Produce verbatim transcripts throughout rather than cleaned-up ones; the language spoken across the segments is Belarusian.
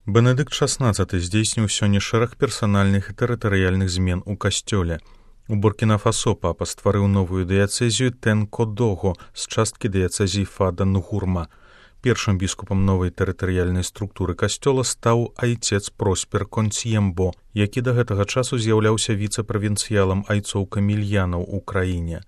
Бенедыкт шаснаццаты здзейсніў сёння шэраг персанальных і тэрытарыяльных змен у касцёле. У Буркіна-Фасо папа стварыў новую дыяцэзію Тэн-Кодого з часткі дыяцэзіі Фада-Нгурма. Першым біскупам новай тэрытарыяльнай структуры касцёла стаў айцец Проспер Консьембо, які да гэтага часу з'яўляўся віцэ-правінцыялам айцоў камільянаў у краіне.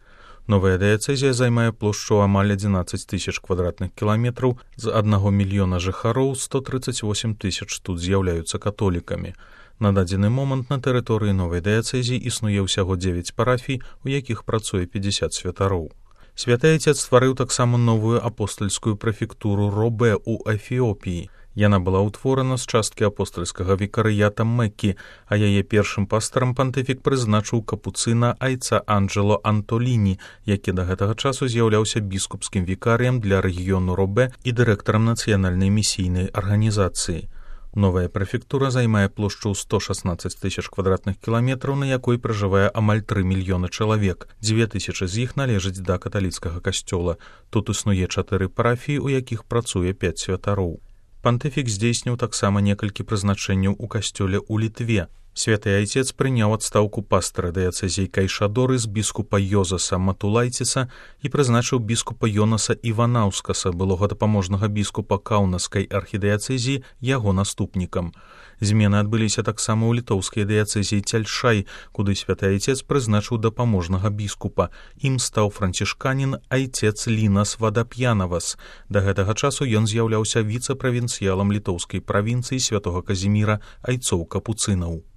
Новая дыяцэзія займае плошчу амаль адзінаццаць тысяч квадратных кіламетраў, з аднаго мільёна жыхароў сто трыццаць восем тысяч тут з'яўляюцца католікамі. На дадзены момант на тэрыторыі новай дыяцэзіі існуе ўсяго дзевяць парафій, у якіх працуе пятьдесят святароў. Святы айцец стварыў таксама новую апостальскую прэфектуру Робе ў Эфіопіі. Яна была ўтворана з часткі апостальскага вікарыята Меккі, а яе першым пастарам пантыфік прызначыў капуцына айца Анджело Антоліні, які да гэтага часу з'яўляўся біскупскім вікарыем для рэгіёну Робе і дырэктарам нацыянальнай місійнай арганізацыі. Новая прэфектура займае плошчу сто шаснаццаць тысяч квадратных кіламетраў, на якой пражывае амаль тры мільёны чалавек. Дзве тысячы з іх належаць да каталіцкага касцёла. Тут існуе чатыры парафіі, у якіх працуе пяць святароў. Пантыфік здзейсніў таксама некалькі прызначэнняў у касцёле ў Літве. Святы айцец прыняў адстаўку пастара дыяцэзіі Кайшадоры з біскупа Йозаса Матулайціса і прызначыў біскупа Йонаса Іванаўскаса, былога дапаможнага біскупа Каўнаскай архідыяцэзіі, яго наступнікам. Змены адбыліся таксама ў літоўскай дыяцэзіі Цяльшай, куды святы айцец прызначыў дапаможнага біскупа. Ім стаў францішканін айцец Лінас Вадап'янавас. Да гэтага часу ён з'яўляўся віцэ-правінцыялам літоўскай правінцыі святога Казіміра айцоў капуцынаў.